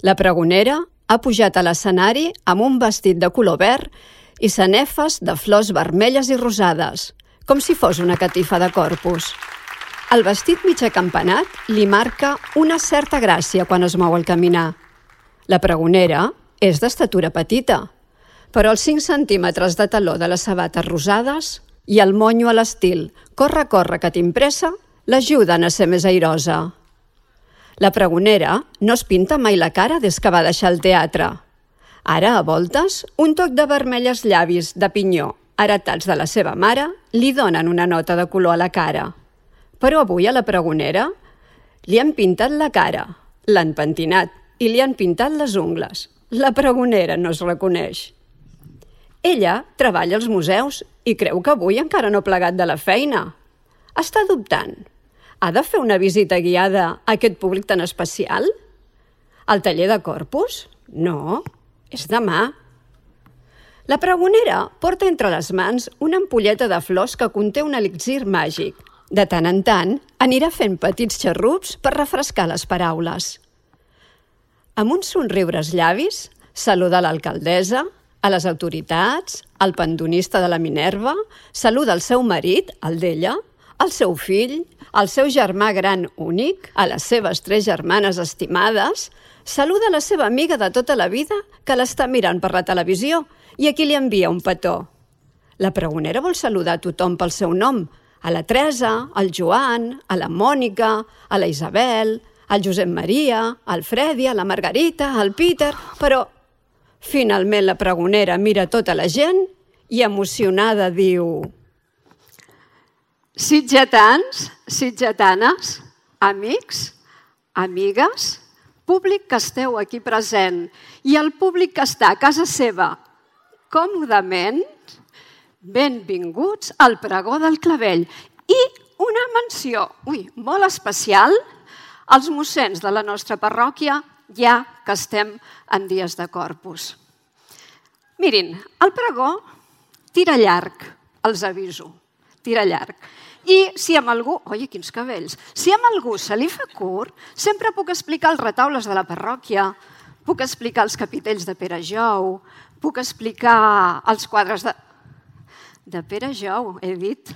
La pregonera ha pujat a l'escenari amb un vestit de color verd i sanefes de flors vermelles i rosades, com si fos una catifa de Corpus. El vestit mig acampanat li marca una certa gràcia quan es mou al caminar. La pregonera és d'estatura petita, però els 5 centímetres de taló de les sabates rosades i el monyo a l'estil «corre, corre, que t'impressa» l'ajuden a ser més airosa. La pregonera no es pinta mai la cara des que va deixar el teatre. Ara, a voltes, un toc de vermell als llavis de pinyó, heretats de la seva mare, li donen una nota de color a la cara. Però avui a la pregonera li han pintat la cara, l'han pentinat i li han pintat les ungles. La pregonera no es reconeix. Ella treballa als museus i creu que avui encara no ha plegat de la feina. Està dubtant. Ha de fer una visita guiada a aquest públic tan especial? Al taller de Corpus? No, és demà. La pregonera porta entre les mans una ampolleta de flors que conté un elixir màgic. De tant en tant, anirà fent petits xarrups per refrescar les paraules. Amb un somriure als llavis, saluda l'alcaldessa, a les autoritats, al pandonista de la Minerva, saluda el seu marit, el d'ella, el seu fill, el seu germà gran únic, a les seves 3 germanes estimades, saluda la seva amiga de tota la vida que l'està mirant per la televisió i a qui li envia un petó. La pregonera vol saludar a tothom pel seu nom, a la Teresa, al Joan, a la Mònica, a la Isabel, al Josep Maria, al Fredi, a la Margarita, al Peter, però finalment la pregonera mira tota la gent i emocionada diu: sitgetans, sitgetanes, amics, amigues, públic que esteu aquí present i el públic que està a casa seva còmodament, benvinguts al Pregó del Clavell. I una menció molt especial als mossens de la nostra parròquia, ja que estem en dies de Corpus. Mirin, el pregó tira llarg, els aviso, tira llarg. I si amb algú... Oi, quins cabells! Si amb algú se li fa curt, sempre puc explicar els retaules de la parròquia, puc explicar els capitells de Pere Jou, puc explicar els quadres de Pere Jou, he dit.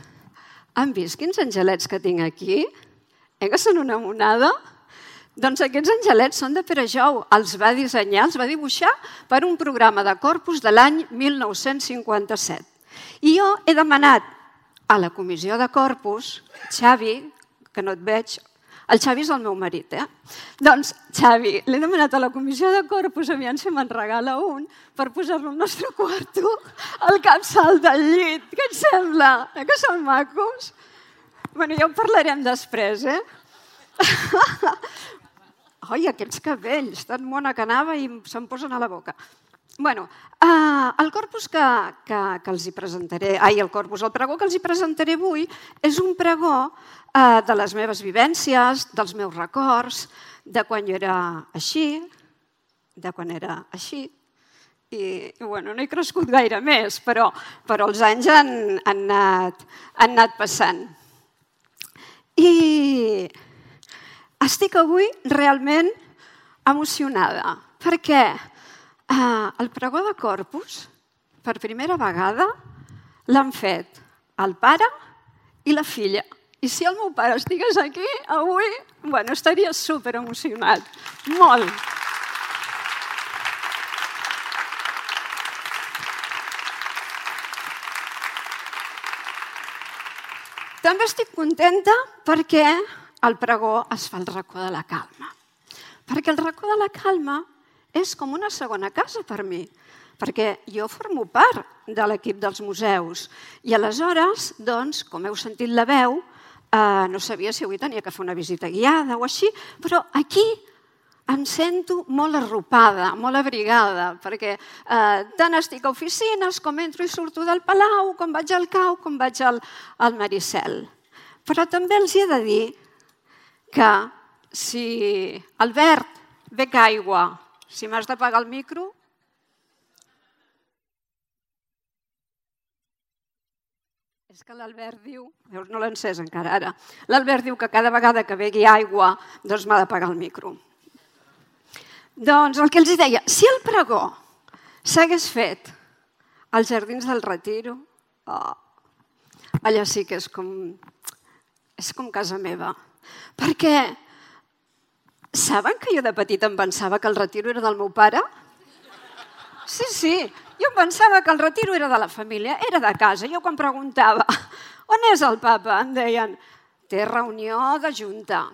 Han vist quins angelets que tinc aquí? Que són una monada? Doncs aquests angelets són de Pere Jou. Els va dissenyar, els va dibuixar per un programa de Corpus de l'any 1957. I jo he demanat a la comissió de Corpus, Xavi, que no et veig, el Xavi és el meu marit, Doncs, Xavi, l'he demanat a la comissió de Corpus, aviam si me'n regala un, per posar-lo al nostre quarto, al capçal del llit. Què et sembla? Que són macos? Bé, ja ho parlarem després, Oi, aquests cabells, tan mona que anava i se'm posen a la boca. Bé, el corpus que els hi presentaré, el pregó que els hi presentaré avui és un pregó de les meves vivències, dels meus records, de quan jo era així, i no he crescut gaire més, però els anys han anat passant. I estic avui realment emocionada, perquè el pregó de Corpus, per primera vegada, l'han fet el pare i la filla. I si el meu pare estigués aquí avui, estaria superemocionat. Molt. També estic contenta perquè el pregó es fa al racó de la Calma. Perquè el racó de la Calma és com una segona casa per mi, perquè jo formo part de l'equip dels museus. I aleshores, doncs, com heu sentit la veu, no sabia si avui tenia que fer una visita guiada o així, però aquí em sento molt arropada, molt abrigada, perquè tant estic a oficines, com entro i surto del Palau, com vaig al Cau, com vaig al Maricel. Però també els he de dir que si Albert, bec aigua, si m'has d'apagar el micro... És que l'Albert diu... No l'he encès encara ara. L'Albert diu que cada vegada que begui aigua doncs m'ha d'apagar el micro. Doncs el que els deia, si el pregó s'hagués fet als Jardins del Retiro, allà sí que és com casa meva. Perquè saben que jo de petita em pensava que el Retiro era del meu pare? Sí, jo em pensava que el Retiro era de la família, era de casa. Jo quan preguntava on és el papa, em deien té reunió de junta,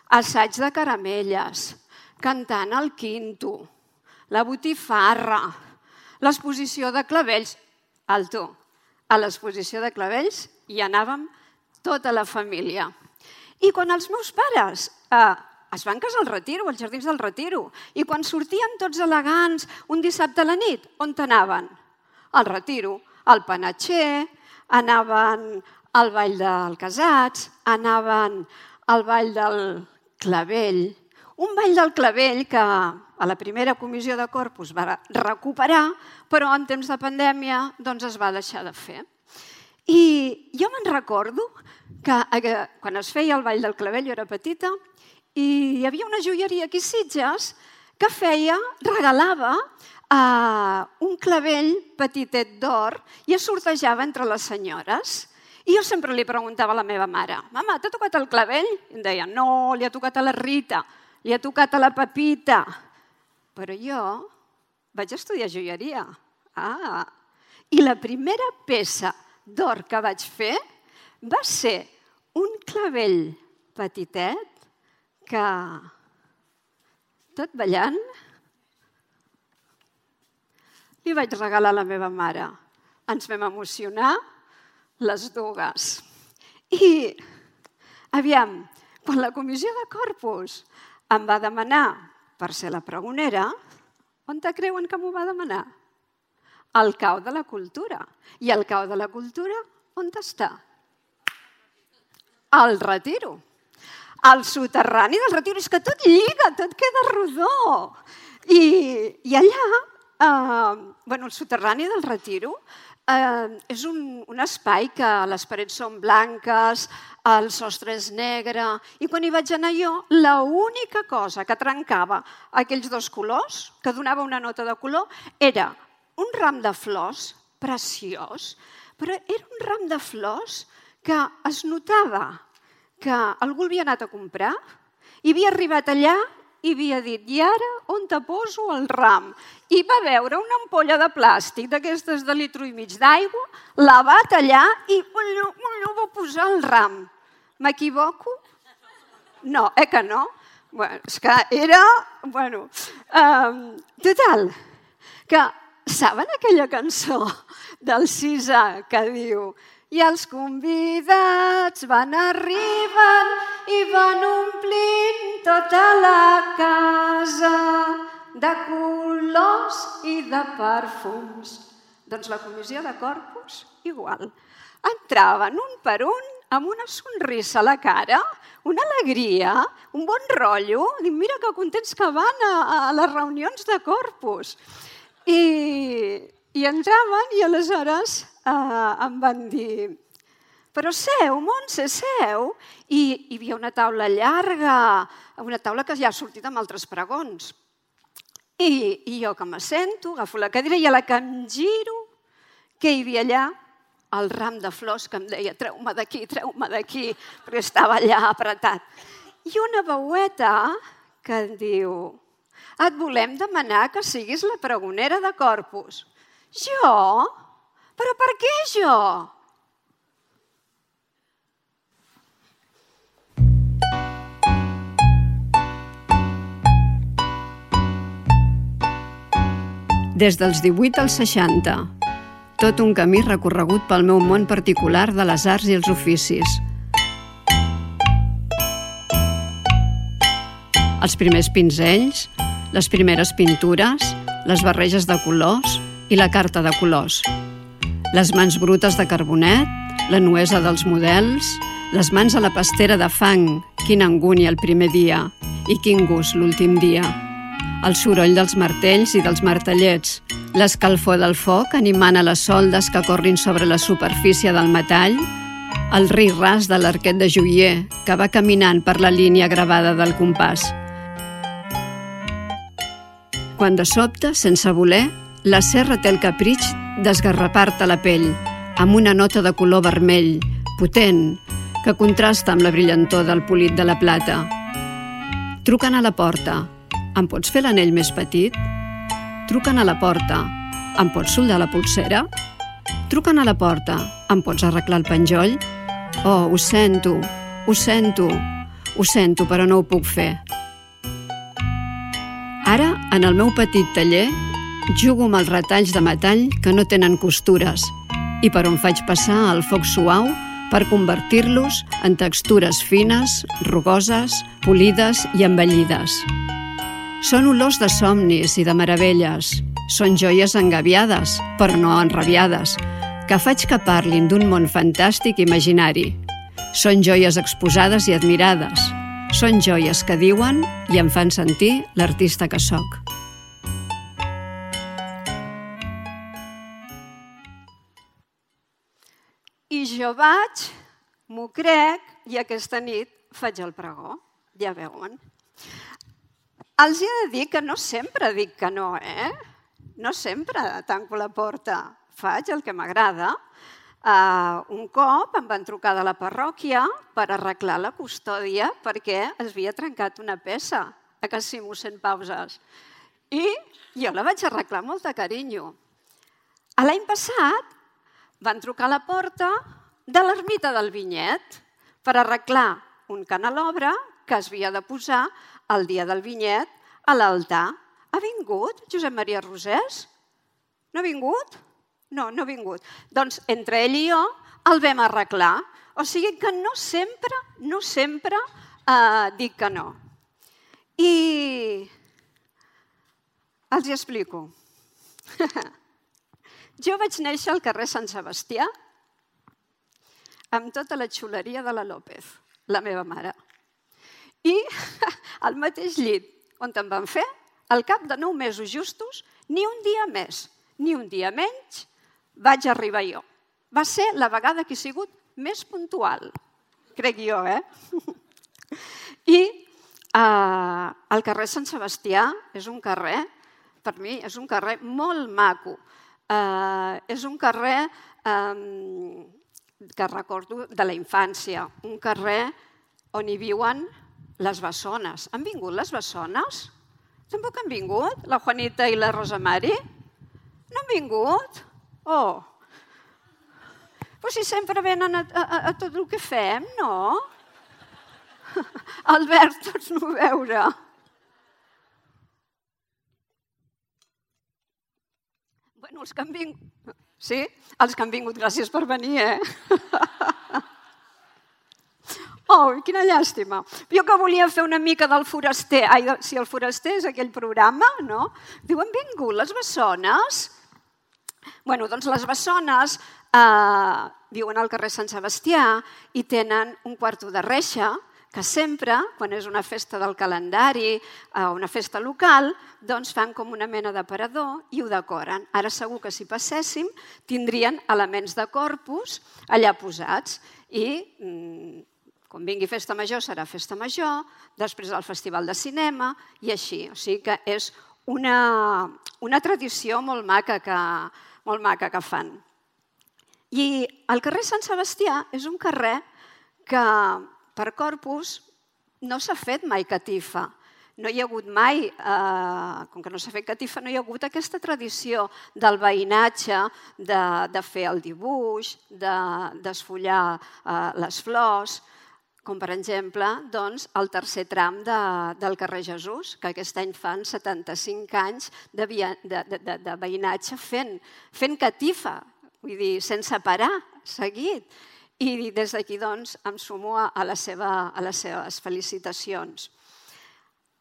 assaig de caramelles, cantant al quinto, la botifarra, l'exposició de clavells. Alto, a l'exposició de clavells hi anàvem tota la família. I quan els meus pares es van casar al Retiro, als Jardins del Retiro, i quan sortien tots elegants un dissabte a la nit, on anaven? Al Retiro, al Panatxer, anaven al Ball del Casats, anaven al Ball del Clavell, un Ball del Clavell que a la primera comissió de Corpus va recuperar, però en temps de pandèmia doncs es va deixar de fer. I jo me'n recordo que quan es feia el Ball del Clavell, jo era petita, i hi havia una joieria aquí a Sitges que regalava un clavell petitet d'or i es sortejava entre les senyores. I jo sempre li preguntava a la meva mare, mama, t'ha tocat el clavell? I em deia, no, li ha tocat a la Rita, li ha tocat a la Pepita. Però jo vaig estudiar joieria. I la primera peça d'or que vaig fer va ser un clavell petitet que, tot ballant, li vaig regalar a la meva mare. Ens vam emocionar les dues. I, aviam, quan la comissió de Corpus em va demanar per ser la pregonera, on te creuen que m'ho va demanar? Al Cau de la Cultura. I el Cau de la Cultura, on està? Al Retiro. Al soterrani del Retiro. És que tot lliga, tot queda rodó. I allà, el soterrani del Retiro és un espai que les parets són blanques, el sostre és negre, i quan hi vaig anar jo, l'única cosa que trencava aquells dos colors, que donava una nota de color, era un ram de flors preciós, però era un ram de flors que es notava que algú havia anat a comprar i havia arribat allà i havia dit, i ara on te poso el ram? I va veure una ampolla de plàstic d'aquestes de litro i mig d'aigua, la va tallar i allò va posar el ram. M'equivoco? No, que no? És que era... Total, que saben aquella cançó del Sisa que diu i els convidats van arribant i van omplint tota la casa de colors i de perfums. Doncs la comissió de Corpus, igual. Entraven un per un amb una sonrisa a la cara, una alegria, un bon rotllo. Dic, mira que contents que van a les reunions de Corpus. I entraven i aleshores em van dir però seu, Montse, seu. I hi havia una taula llarga, una taula que ja ha sortit amb altres pregons. I jo que m'assento, agafo la cadira i a la que em giro, què hi havia allà? El ram de flors que em deia treu-me d'aquí, perquè estava allà apretat. I una veueta que em diu et volem demanar que siguis la pregonera de Corpus. Jo? Però per què jo? Des dels 18 als 60, tot un camí recorregut pel meu món particular de les arts i els oficis. Els primers pinzells, les primeres pintures, les barreges de colors i la carta de colors. Les mans brutes de carbonet, la nuesa dels models, les mans a la pastera de fang, quina angúnia el primer dia i quin gust l'últim dia. El soroll dels martells i dels martellets, l'escalfor del foc animant a les soldes que corrin sobre la superfície del metall, el ric ras de l'arquet de joier que va caminant per la línia gravada del compàs. quan de sobte, sense voler, la serra té el capritx d'esgarrapar-te la pell amb una nota de color vermell, potent, que contrasta amb la brillantor del polit de la plata. Truquen a la porta. Em pots fer l'anell més petit? Truquen a la porta. Em pots soldar la pulsera? Truquen a la porta. Em pots arreglar el penjoll? Oh, ho sento, però no ho puc fer. Ara, en el meu petit taller, jugo amb els retalls de metall que no tenen costures i per on faig passar el foc suau per convertir-los en textures fines, rugoses, polides i embellides. Són olors de somnis i de meravelles. Són joies engabiades, però no enrabiades, que faig que parlin d'un món fantàstic imaginari. Són joies exposades i admirades. Són joies que diuen i em fan sentir l'artista que sóc. I jo vaig, m'ho crec, i aquesta nit faig el pregó. Ja veuen. Els he de dir que no sempre dic que no, No sempre tanco la porta. Faig el que m'agrada. Un cop em van trucar de la parròquia per arreglar la custòdia perquè es havia trencat una peça a Can mossèn Pauses. I jo la vaig arreglar amb molt de carinyo. L'any passat van trucar a la porta de l'ermita del Vinyet per arreglar un canelobre que es havia de posar el dia del Vinyet a l'altar. Ha vingut Josep Maria Rosés? No ha vingut? No, no ha vingut. Doncs entre ell i jo el vam arreglar. O sigui que no sempre dic que no. I els hi explico. Jo vaig néixer al carrer Sant Sebastià amb tota la xuleria de la López, la meva mare. I al mateix llit on em van fer, al cap de 9 mesos justos, ni un dia més, ni un dia menys, vaig arribar jo. Va ser la vegada que he sigut més puntual, crec jo, I el carrer Sant Sebastià és un carrer, per mi, és un carrer molt maco. És un carrer que recordo de la infància, un carrer on hi viuen les bessones. Han vingut les bessones? Tampoc han vingut? La Juanita i la Rosa Mari? No han vingut? Oh! Però si sempre venen a tot el que fem, no? Albert, tots no veure. Bueno, els que han vingut... Sí? Els que han vingut, gràcies per venir, Oh, quina llàstima. Jo que volia fer una mica del foraster. Ai, si el foraster és aquell programa, no? Diu, han vingut les bessones? Bueno, doncs les bessones viuen al carrer Sant Sebastià i tenen un quarto de reixa que sempre, quan és una festa del calendari o una festa local, doncs fan com una mena d'aparador i ho decoren. Ara segur que si passéssim tindrien elements de Corpus allà posats i quan vingui festa major serà festa major, després el festival de cinema i així. O sigui que és una tradició molt maca que fan. I el carrer Sant Sebastià és un carrer que per Corpus no s'ha fet mai catifa. No hi ha hagut mai, com que no s'ha fet catifa, no hi ha hagut aquesta tradició del veïnatge, de fer el dibuix, d'esfollar les flors, com per exemple el tercer tram del carrer Jesús, que aquest any fan 75 anys de veïnatge fent catifa, vull dir, sense parar, seguit. I des d'aquí em sumo a les seves felicitacions.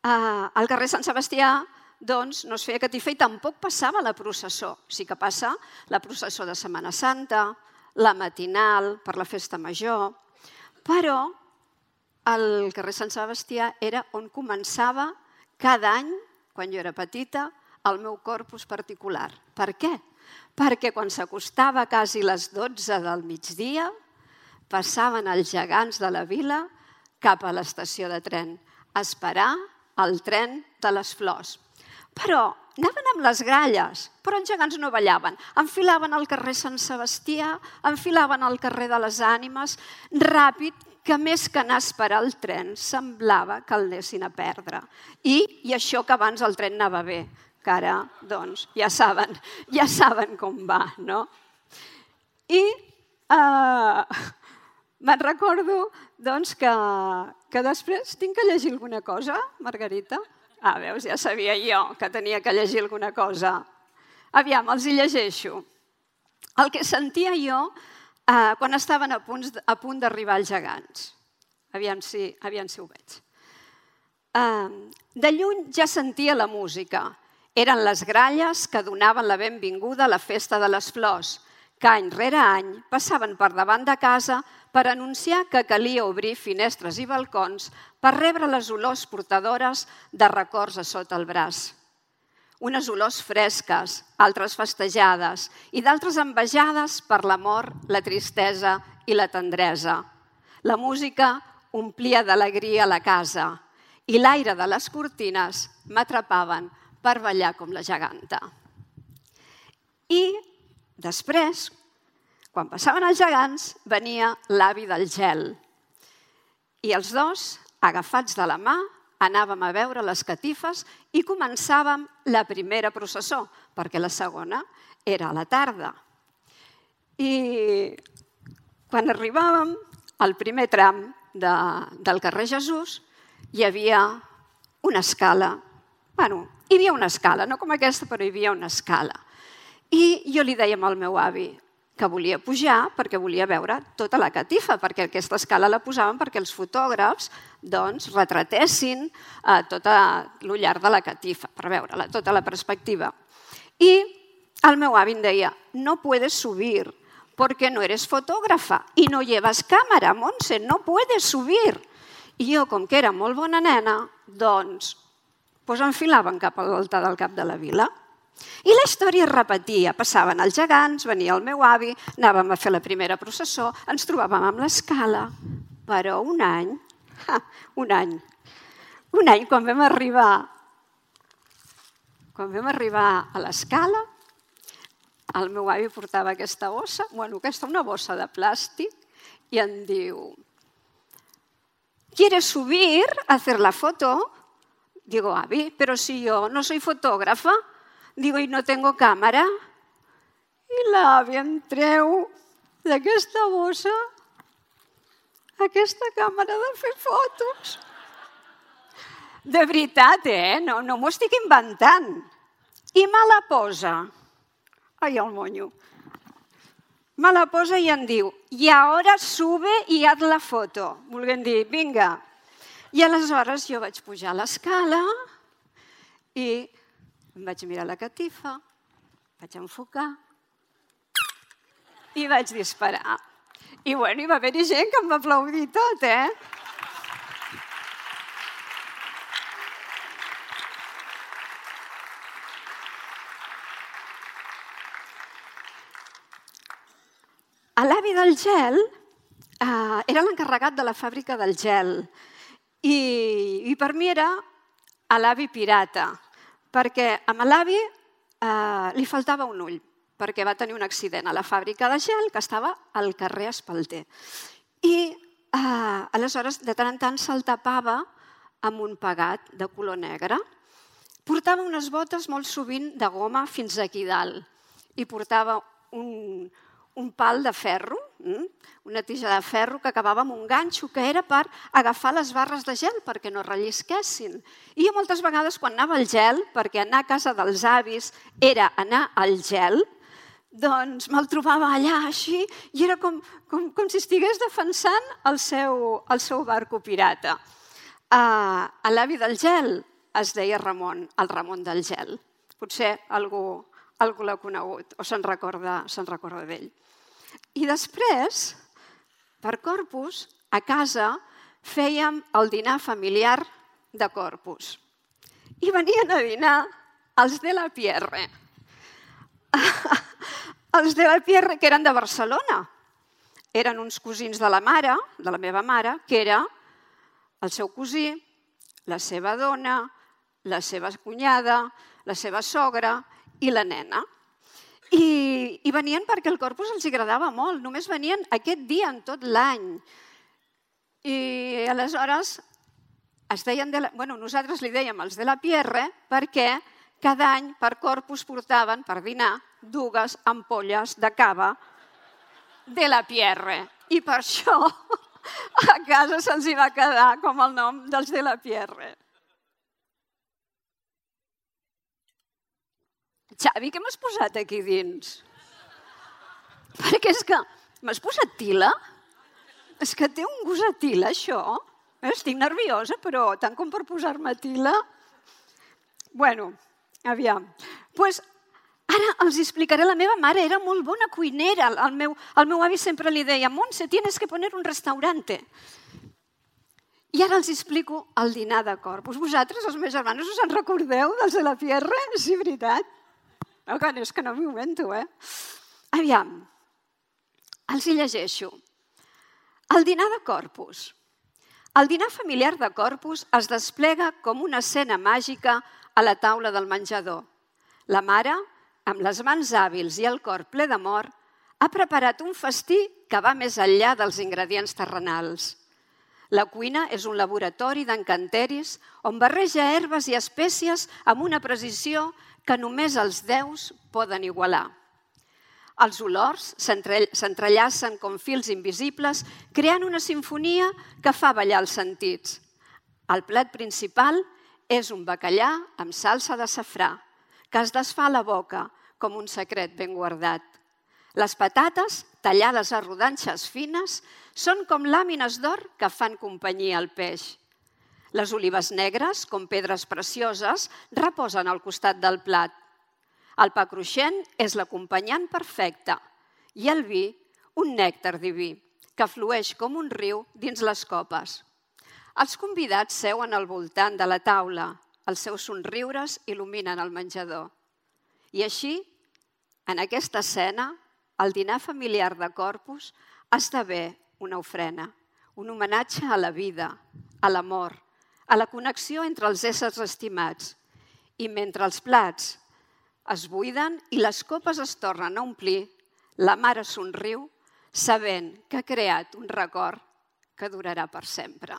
Al carrer Sant Sebastià no es feia catifa i tampoc passava la processó. Sí que passa la processó de Setmana Santa, la matinal per la festa major, però el carrer Sant Sebastià era on començava cada any, quan jo era petita, el meu Corpus particular. Per què? Perquè quan s'acostava quasi les 12 del migdia, passaven els gegants de la vila cap a l'estació de tren a esperar el tren de les flors. Però anaven amb les gralles, però els gegants no ballaven. Enfilaven al carrer Sant Sebastià, enfilaven al carrer de les Ànimes, ràpid, que més que anar a esperar el tren, semblava que el anessin a perdre. I això que abans el tren anava bé, que ara, doncs, ja saben com va, no? I me'n recordo, doncs, que després tinc que llegir alguna cosa, Margarita? Veus, ja sabia jo que tenia que llegir alguna cosa. Aviam, els hi llegeixo. El que sentia jo quan estaven a punt d'arribar els gegants. Aviam si ho veig. De lluny ja sentia la música. Eren les gralles que donaven la benvinguda a la festa de les flors, que any rere any passaven per davant de casa per anunciar que calia obrir finestres i balcons per rebre les olors portadores de records a sota el braç. Unes olors fresques, altres festejades i d'altres envejades per l'amor, la tristesa i la tendresa. La música omplia d'alegria la casa i l'aire de les cortines m'atrapaven per ballar com la geganta. I després, quan passaven els gegants, venia l'avi del gel. I els dos, agafats de la mà, anàvem a veure les catifes i començàvem la primera processó, perquè la segona era a la tarda. I quan arribàvem al primer tram del carrer Jesús, hi havia una escala. Hi havia una escala, no com aquesta, però hi havia una escala. I jo li deia al meu avi que volia pujar perquè volia veure tota la catifa, perquè aquesta escala la posaven perquè els fotògrafs retratessin tot el llarg de la catifa, per veure-la, tota la perspectiva. I el meu avi em deia, no puedes subir porque no eres fotógrafa y no llevas cámara, Montse, no puedes subir. I jo, com que era molt bona nena, doncs enfilaven cap a l'altar del cap de la vila. I la història es repetia. Passaven els gegants, venia el meu avi, anàvem a fer la primera processó, ens trobàvem amb l'escala. Però un any, quan vam arribar a l'escala, el meu avi portava aquesta bossa, una bossa de plàstic, i em diu, ¿quieres subir a hacer la foto? Digo, avi, pero si yo no soy fotógrafa, digo, y no tengo cámara. I l'avi em treu d'aquesta bossa aquesta càmera de fer fotos. De veritat, no m'ho estic inventant. I me la posa. Ai, el monyo. Me la posa i em diu, i ara sube i haz la foto. Volguem dir, vinga. I aleshores jo vaig pujar a l'escala i em vaig mirar la catifa, vaig enfocar i vaig disparar. I hi va haver-hi gent que em va aplaudir tot, L'avi del gel era l'encarregat de la fàbrica del gel i per mi era l'avi pirata, perquè a l'avi li faltava un ull, perquè va tenir un accident a la fàbrica de gel que estava al carrer Espalter. I aleshores, de tant en tant, se'l tapava amb un pegat de color negre. Portava unes botes molt sovint de goma fins aquí dalt i portava un pal de ferro, una tija de ferro que acabava amb un ganxo que era per agafar les barres de gel perquè no rellisquessin. I jo moltes vegades quan anava al gel, perquè anar a casa dels avis era anar al gel, doncs me'l trobava allà així i era com si estigués defensant el seu barco pirata. L'avi del gel es deia Ramon, el Ramon del gel. Potser algú l'ha conegut o se'n recorda d'ell. I després, per Corpus, a casa fèiem el dinar familiar de Corpus. I venien a dinar els de la Pierre. Els de la Pierre, que eren de Barcelona. Eren uns cosins de la meva mare, que era el seu cosí, la seva dona, la seva cunyada, la seva sogra i la nena. I venien perquè el Corpus els agradava molt, només venien aquest dia en tot l'any. I aleshores nosaltres li dèiem els de la Pierre perquè cada any per Corpus portaven per dinar 2 ampolles de cava de la Pierre. I per això a casa se'ls va quedar com el nom dels de la Pierre. Xavi, què m'has posat aquí dins? Perquè és que m'has posat tila? És que té un gust a tila, això. Estic nerviosa, però tant com per posar-me tila. Bueno, aviam. Doncs ara els explicaré. La meva mare era molt bona cuinera. El meu avi sempre li deia: Montse, tienes que poner un restaurante. I ara els explico el dinar de Corpus. Vosaltres, els meus germanos, us en recordeu dels de la Pierre? Sí, veritat. No, és que no m'ho invento, Aviam, els hi llegeixo. El dinar de Corpus. El dinar familiar de Corpus es desplega com una escena màgica a la taula del menjador. La mare, amb les mans hàbils i el cor ple d'amor, ha preparat un festí que va més enllà dels ingredients terrenals. La cuina és un laboratori d'encanteris on barreja herbes i espècies amb una precisió que només els déus poden igualar. Els olors s'entrellacen com fils invisibles, creant una simfonia que fa ballar els sentits. El plat principal és un bacallà amb salsa de safrà, que es desfà a la boca com un secret ben guardat. Les patates, tallades a rodanxes fines, són com làmines d'or que fan companyia al peix. Les olives negres, com pedres precioses, reposen al costat del plat. El pa cruixent és l'acompanyant perfecte i el vi, un nèctar diví, que flueix com un riu dins les copes. Els convidats seuen al voltant de la taula, els seus somriures il·luminen el menjador. I així, en aquesta escena, el dinar familiar de Corpus esdevé una ofrena, un homenatge a la vida, a l'amor, a la connexió entre els éssers estimats. I mentre els plats es buiden i les copes es tornen a omplir, la mare somriu, sabent que ha creat un record que durarà per sempre.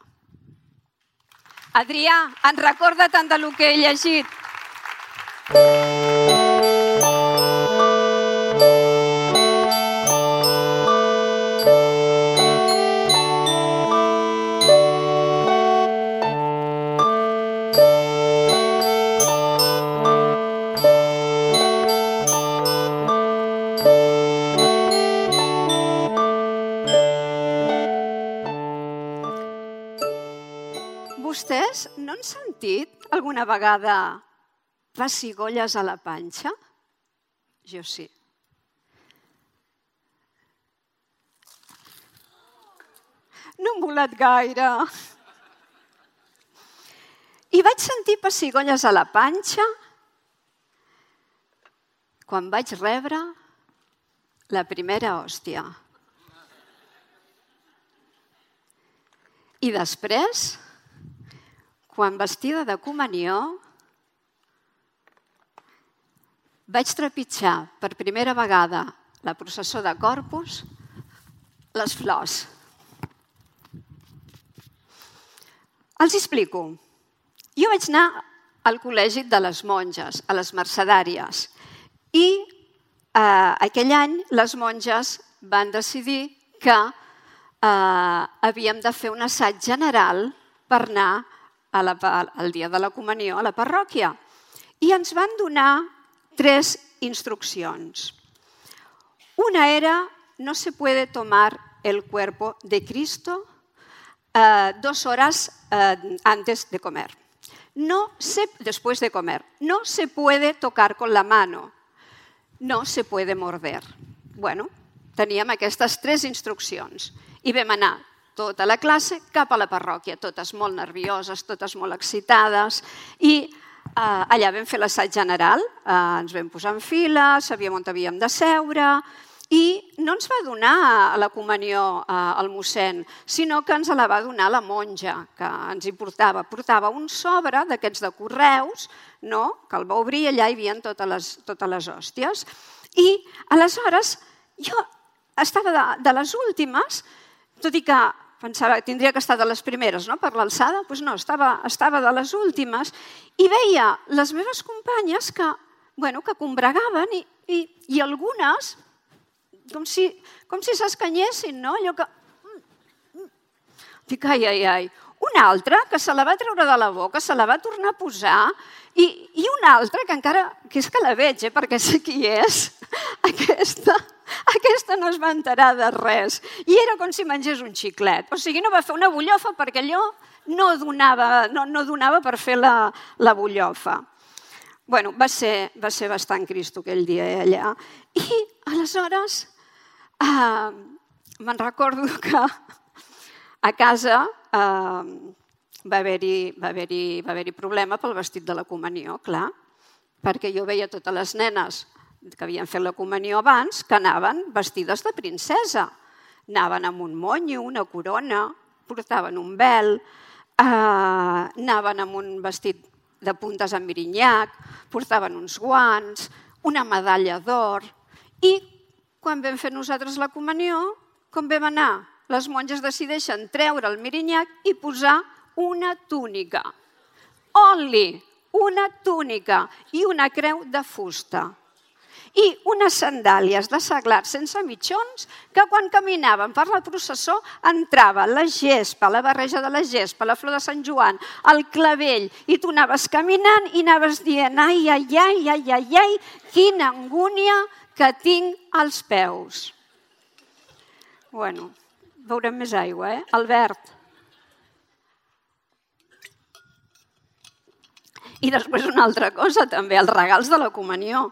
Adrià, en recorda-te'n del que he llegit. Vostès no han sentit alguna vegada pessigolles a la panxa? Jo sí. No hem volat gaire. I vaig sentir pessigolles a la panxa quan vaig rebre la primera hòstia. I després, quan vestida de comunió, vaig trepitjar per primera vegada la processó de Corpus, les flors. Els explico. Jo vaig anar al col·legi de les monges, a les mercedàries, i aquell any les monges van decidir que havíem de fer un assaig general per anar al dia de la comunió a la parròquia. I ens van donar 3 instruccions. Una era: no se puede tomar el cuerpo de Cristo 2 horas antes de comer. Después de comer. No se puede tocar con la mano. No se puede morder. Bueno, teníem aquestes 3 instruccions. I vam anar tota la classe cap a la parròquia, totes molt nervioses, totes molt excitades, i allà vam fer l'assaig general, ens vam posar en fila, sabíem on havíem de seure, I no ens va donar la comunió al mossèn, sinó que ens la va donar la monja, que ens hi portava. Portava un sobre d'aquests de correus, que el va obrir i allà hi havia totes les hòsties. I aleshores jo estava de les últimes, tot i que pensava que tindria que estar de les primeres per l'alçada, doncs no, estava de les últimes i veia les meves companyes que combregaven i algunes com si s'escanyessin, no? Allò que... Dic, ai. Una altra que se la va treure de la boca, se la va tornar a posar, i una altra que encara, que és que la veig, perquè sé qui és, aquesta no es va enterar de res. I era com si mengés un xiclet. O sigui, no va fer una bullofa perquè allò no donava per fer la bullofa. Bueno, va ser bastant Cristo aquell dia allà. I aleshores me'n recordo que a casa va haver-hi problema pel vestit de la comunió, clar, perquè jo veia totes les nenes que havien fet la comunió abans que anaven vestides de princesa. Anaven amb un monyo, una corona, portaven un vel, anaven amb un vestit de puntes amb mirinyac, portaven uns guants, una medalla d'or. I quan vam fer nosaltres la comunió, com vam anar? Les monges decideixen treure el mirinyac i posar una túnica. Only una túnica i una creu de fusta. I unes sandàlies de seglat sense mitjons que quan caminaven per la processó entrava la gespa, la barreja de la gespa, la flor de Sant Joan, el clavell, i tu anaves caminant i anaves dient ai, quina angúnia que tinc als peus. Bueno, veurem més aigua, Albert. I després una altra cosa, també, els regals de la comunió.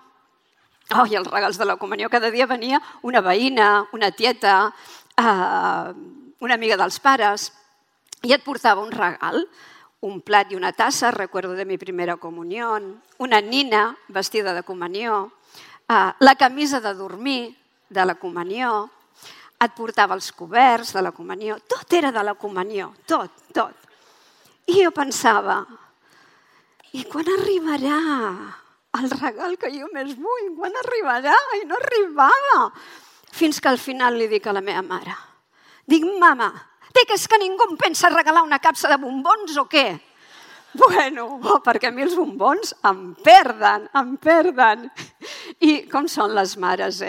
I els regals de la comunió. Cada dia venia una veïna, una tieta, una amiga dels pares, i et portava un regal, un plat i una tassa, recuerdo de mi primera comunió, una nina vestida de comunió, la camisa de dormir de la comunió, et portava els coberts de la comunió, tot era de la comunió, tot. I jo pensava, i quan arribarà el regal que jo més vull? Quan arribarà? I no arribava. Fins que al final li dic a la meva mare, dic, mama, que és que ningú em pensa regalar una capsa de bombons o què? Bueno, perquè a mi els bombons em perden. I com són les mares,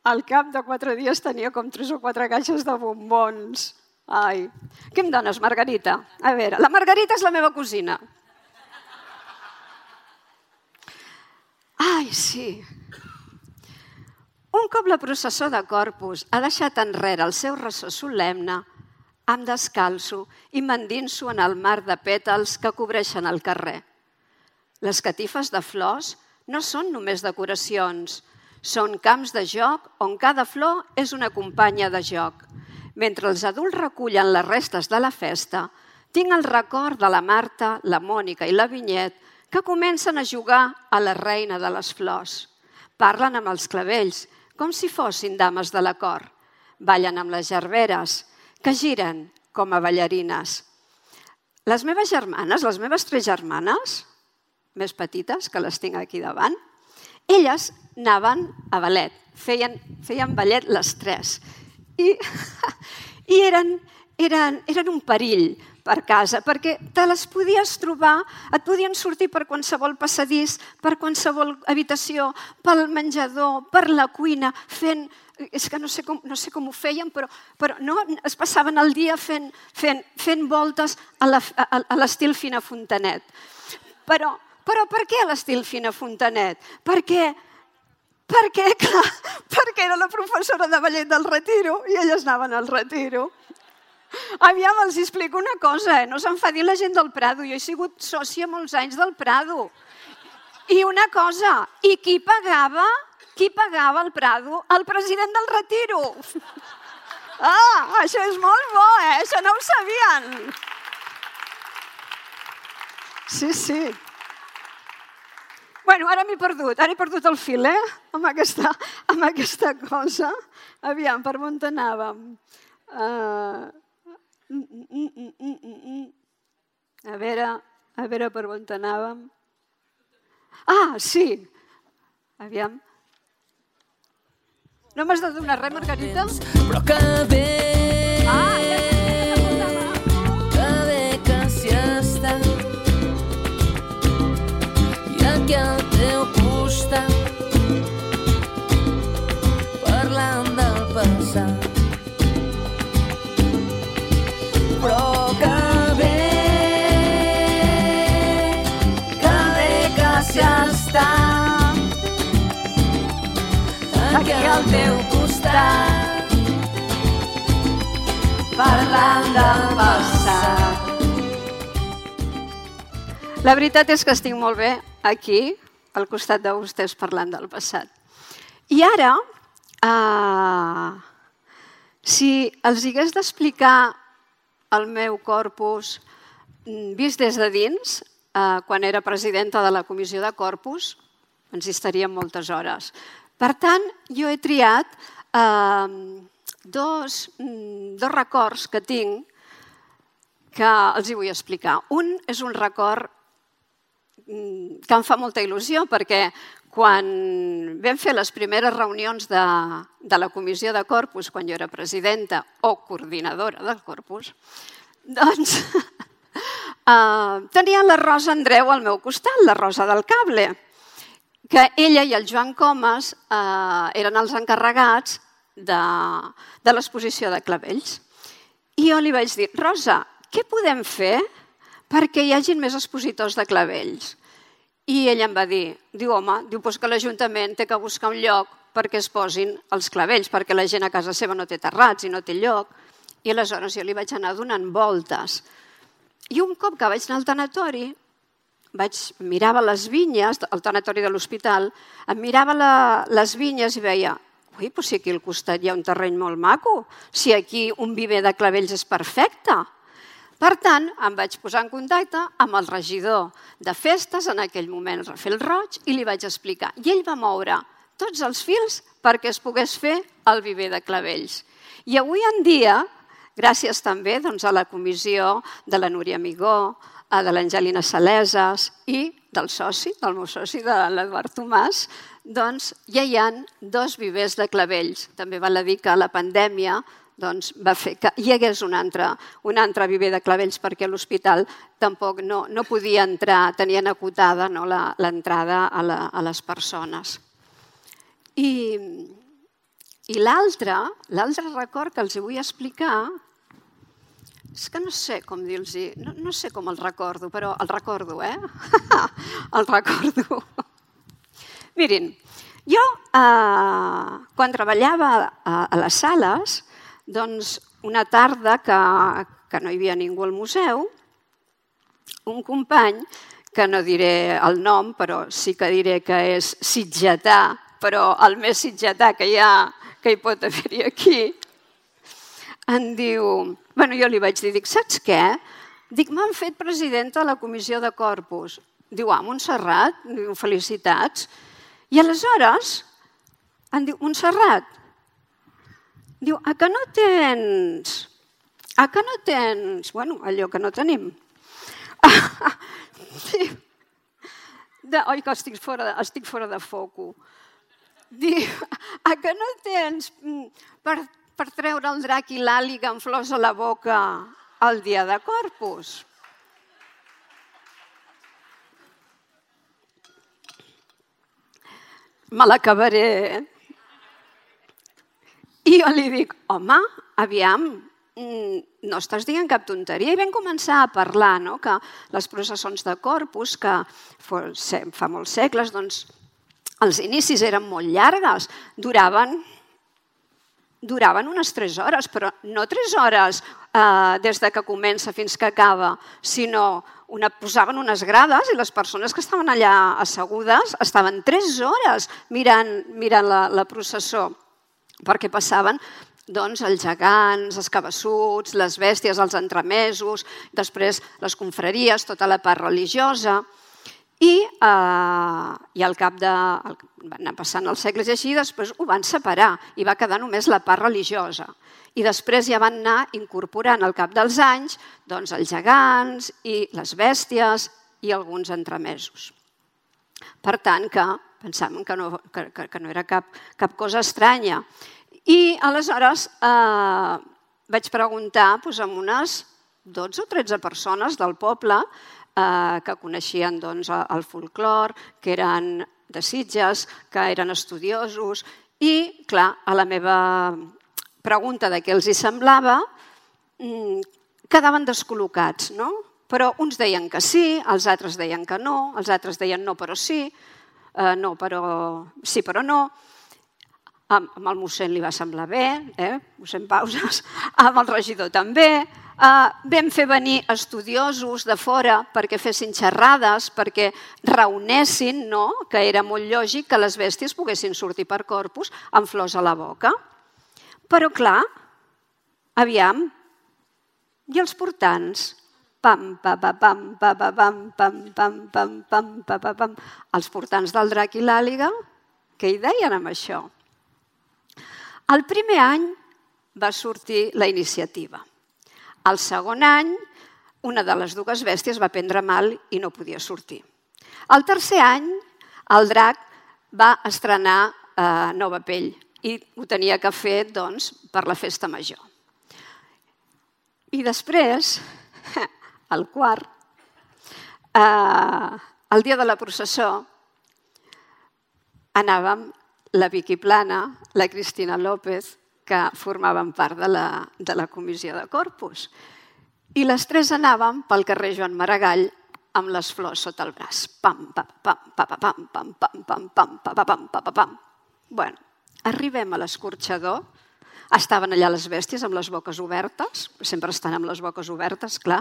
Al cap de 4 dies tenia com 3 o 4 caixes de bombons. Ai, què em dones, Margarita? A veure, la Margarita és la meva cosina. Ai, sí. Un cop la processó de Corpus ha deixat enrere el seu ressò solemne, em descalço i m'endinso en el mar de pètals que cobreixen el carrer. Les catifes de flors no són només decoracions, són camps de joc on cada flor és una companya de joc. Mentre els adults recullen les restes de la festa, tinc el record de la Marta, la Mònica i la Vinyet que comencen a jugar a la reina de les flors. Parlen amb els clavells, com si fossin dames de la cort. Ballen amb les gerberes, que giren com a ballarines. Les meves germanes, les meves 3 germanes, més petites, que les tinc aquí davant, elles anaven a ballet, feien ballet les 3. I eren un perill per casa, perquè te les podies trobar, et podien sortir per qualsevol passadís, per qualsevol habitació, pel menjador, per la cuina, fent... És que no sé com ho feien, però no, es passaven el dia fent voltes a l'estil Fina Fontanet. Però per què a l'estil Fina Fontanet? Perquè era la professora de ballet del Retiro i elles anaven al Retiro. Aviam, els explico una cosa, no s'enfadin la gent del Prado. Jo he sigut sòcia molts anys del Prado. I una cosa, i qui pagava el Prado? El president del Retiro. Això és molt bo, això no ho sabien. Sí. Bueno, ara m'he perdut el fil, amb aquesta cosa. Aviam, per on anàvem? A veure per on anàvem. Ah, sí. Aviam. No m'has de donar res, Margarita? Però que bé, que bé que s'hi està. I aquí al teu costat, parlant del passat. Però que bé que s'hi està. Aquí al teu costat, parlant del passat. La veritat és que estic molt bé aquí, al costat de vostès, parlant del passat. I ara, si els hagués d'explicar el meu corpus vist des de dins, quan era presidenta de la Comissió de Corpus, ens hi estaríem moltes hores. Per tant, jo he triat dos records que tinc que els hi vull explicar. Un és un record que em fa molta il·lusió perquè quan vam fer les primeres reunions de la Comissió de Corpus, quan jo era presidenta o coordinadora del Corpus, doncs tenia la Rosa Andreu al meu costat, la Rosa del Cable, que ella i el Joan Comas eren els encarregats de l'exposició de clavells. I jo li vaig dir, Rosa, què podem fer perquè hi hagin més expositors de clavells? I ella em va dir, home, que l'Ajuntament té que buscar un lloc perquè es posin els clavells, perquè la gent a casa seva no té terrats i no té lloc. I aleshores jo li vaig anar donant voltes. I un cop que vaig anar al tanatori, mirava les vinyes, al tanatori de l'hospital, em mirava les vinyes i veia, si aquí al costat hi ha un terreny molt maco, si aquí un viver de clavells és perfecte. Per tant, em vaig posar en contacte amb el regidor de festes, en aquell moment, Rafael Roig, i li vaig explicar. I ell va moure tots els fils perquè es pogués fer el viver de clavells. I avui en dia, gràcies també a la comissió de la Núria Amigó, de l'Angelina Saleses i del meu soci, de l'Eduard Tomàs, doncs ja hi ha 2 vivers de clavells. També val a dir que la pandèmia va fer que hi hagués un altre viver de clavells perquè a l'hospital tampoc no podia entrar, tenien acotada l'entrada a les persones. I l'altre record que els vull explicar és que no sé com dir-los, no sé com el recordo, però el recordo, El recordo. Mirin, jo quan treballava a les sales, doncs una tarda que no hi havia ningú al museu, un company, que no diré el nom, però sí que diré que és sitgetà, però el més sitgetà que hi pot haver-hi aquí, em diu, jo li vaig dir, saps què? Dic, m'han fet presidenta de la Comissió de Corpus. Diu, Montserrat, felicitats. I aleshores em diu, Montserrat, diu, que no tens? Que no tens? Allò que no tenim. Oi, que estic fora de foco. Diu, que no tens per treure el drac i l'àliga amb flors a la boca el dia de Corpus? Me l'acabaré. I jo li dic, home, aviam, no estàs dient cap tonteria. I vam començar a parlar que les processons de Corpus, que fa molts segles, doncs els inicis eren molt llargues, duraven unes 3 hores, però no 3 hores des que comença fins que acaba, sinó posaven unes grades i les persones que estaven allà assegudes estaven 3 hores mirant la processó, perquè passaven els gegants, els cabassuts, les bèsties, els entremesos, després les confraries, tota la part religiosa. I al cap de... van anar passant els segles i així, després ho van separar i va quedar només la part religiosa. I després ja van anar incorporant al cap dels anys doncs, els gegants i les bèsties i alguns entremesos. Per tant, que pensàvem que no era cap cosa estranya. I aleshores vaig preguntar a unes 12 o 13 persones del poble que coneixien el folclor, que eren de Sitges, que eren estudiosos, i, clar, a la meva pregunta de què els hi semblava, quedaven descol·locats, no? Però uns deien que sí, els altres deien que no, els altres deien no però sí, no però sí però no. Amb el mossèn li va semblar bé, mossèn Pauses, amb el regidor també. Vam fer venir estudiosos de fora perquè fessin xerrades, perquè reunessin, que era molt lògic que les bèsties poguessin sortir per Corpus amb flors a la boca. Però, clar, aviam, i els portants? Pam, pam, pam, pam, pam, pam, pam, pam, pam, pam, pam. Els portants del drac i l'àliga, què hi deien amb això? El primer any va sortir la iniciativa. El segon any, una de les dues bèsties va prendre mal i no podia sortir. El tercer any, el drac va estrenar nova pell i ho tenia que fer per la festa major. I després, el quart, el dia de la processó, anàvem la Vicky Plana, la Cristina López, que formaven part de la comissió de Corpus. I les tres anàvem pel carrer Joan Maragall amb les flors sota el braç. Pam, pam, pam, pam, pam, pam, pam, pam, pam, pam, pam, pam. Bueno, arribem a l'escorxador. Estaven allà les bèsties amb les boques obertes, sempre estan amb les boques obertes, clar.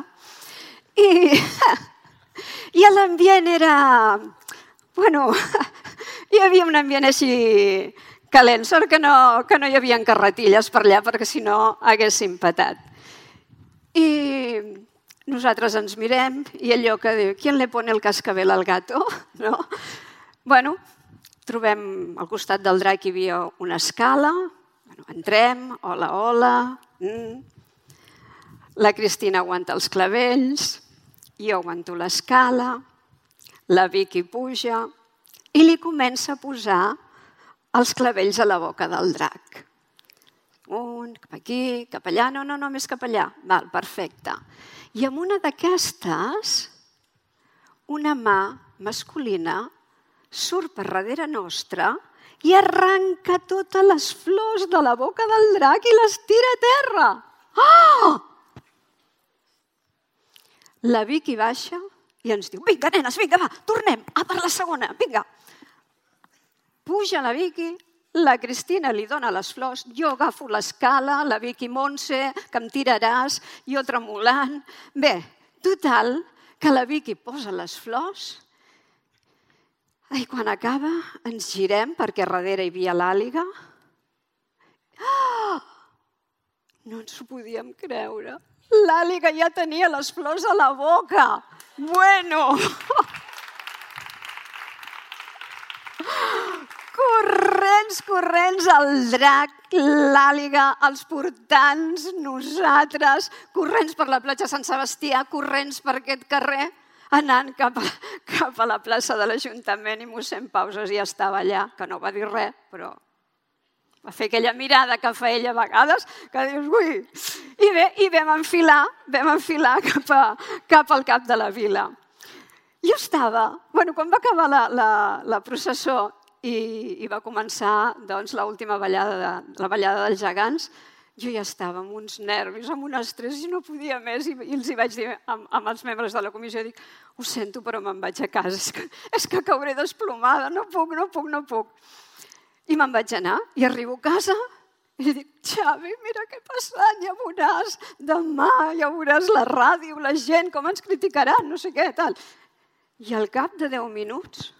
I l'ambient era... Bueno, hi havia un ambient així calent, sort que no hi havia carretilles per allà, perquè si no haguéssim patat. I nosaltres ens mirem i allò que diu, ¿quién le pone el cascabel al gato? Bueno, trobem al costat del drac hi havia una escala, entrem, hola, hola, la Cristina aguanta els clavells, jo aguanto l'escala, la Vicky puja i li comença a posar els clavells a la boca del drac. Un, cap aquí, cap allà, no, més cap allà. Val, perfecte. I amb una d'aquestes, una mà masculina surt per darrere nostra i arranca totes les flors de la boca del drac i les tira a terra. Oh! La Vicky baixa i ens diu, vinga, nenes, vinga, va, tornem, per la segona, vinga. Puja la Vicky, la Cristina li dona les flors, jo agafo l'escala, la Vicky Montse, que em tiraràs, jo tremolant. Bé, total, que la Vicky posa les flors i quan acaba ens girem perquè darrere hi havia l'àliga. No ens ho podíem creure. L'àliga ja tenia les flors a la boca. Bueno! Corrents, el drac, l'àliga, els portants, nosaltres, corrents per la platja Sant Sebastià, corrents per aquest carrer, anant cap a la plaça de l'Ajuntament i mossèn Pauses ja estava allà, que no va dir res, però va fer aquella mirada que fa ella a vegades, que dius, ui! I vam enfilar cap al cap de la vila. Jo estava, quan va acabar la processó i va començar l'última ballada, la ballada dels gegants, jo ja estava amb uns nervis, amb un estrès i no podia més. I els hi vaig dir amb els membres de la comissió, dic, ho sento però me'n vaig a casa, és que cauré desplomada, no puc. I me'n vaig anar i arribo a casa i li dic, Xavi, mira què ha passat, ja veuràs demà, ja veuràs la ràdio, la gent, com ens criticaran, no sé què, tal. I al cap de 10 minuts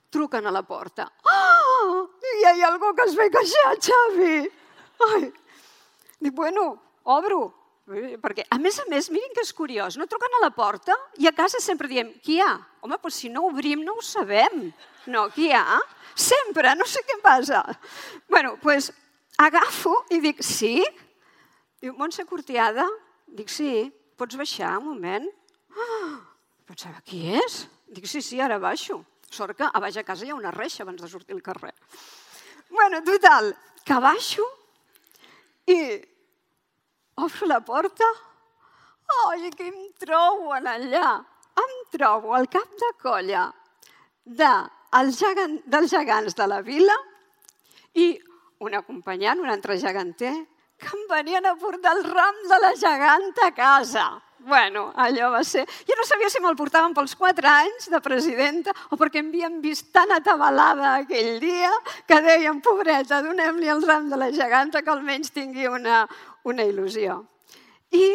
truquen a la porta. Oh, hi ha algú que es ve queixar, Xavi. Ai. Dic, bueno, obro. Perquè, a més, mirin que és curiós, no truquen a la porta i a casa sempre diem, qui hi ha? Home, doncs si no obrim no ho sabem. No, qui hi ha? Sempre, no sé què passa. Bé, doncs agafo i dic, sí? Diu, Montse Cortiada? Dic, sí, pots baixar un moment? Pensava, qui és? Dic, sí, ara baixo. Sort que a baix a casa hi ha una reixa abans de sortir al carrer. Bé, total, que baixo i obro la porta. Ai, què em trobo allà? Em trobo al cap de colla dels gegants de la vila i un acompanyant, un altre geganter, que em venien a portar el ram de la geganta a casa. Bueno, allò va ser... Jo no sabia si me'l portaven pels 4 anys de presidenta o perquè em havien vist tan atabalada aquell dia que deien, pobreta, donem-li el ram de la geganta que almenys tingui una il·lusió. I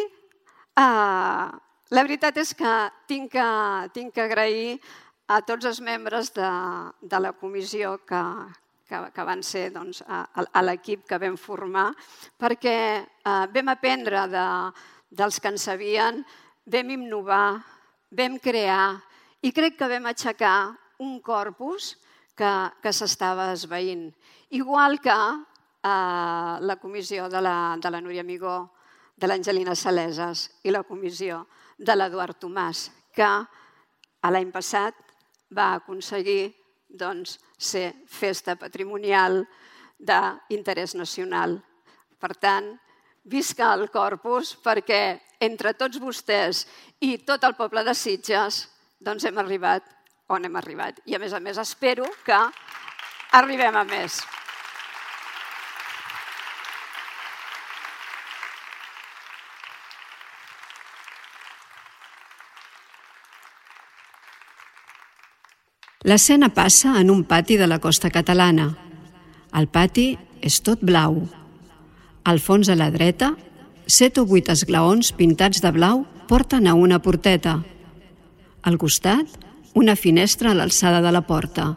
la veritat és que tinc que agrair a tots els membres de la comissió que van ser a l'equip que vam formar, perquè vam aprendre dels que en sabien, vam innovar, vam crear i crec que vam aixecar un corpus que s'estava esvaint. Igual que la comissió de la Núria Amigó, de l'Angelina Saleses i la comissió de l'Eduard Tomàs, que l'any passat va aconseguir ser festa patrimonial d'interès nacional. Per tant, visca el Corpus, perquè entre tots vostès i tot el poble de Sitges hem arribat on hem arribat. I a més espero que arribem a més. L'escena passa en un pati de la costa catalana. El pati és tot blau. Al fons a la dreta, 7 o 8 esglaons pintats de blau porten a una porteta. Al costat, una finestra a l'alçada de la porta.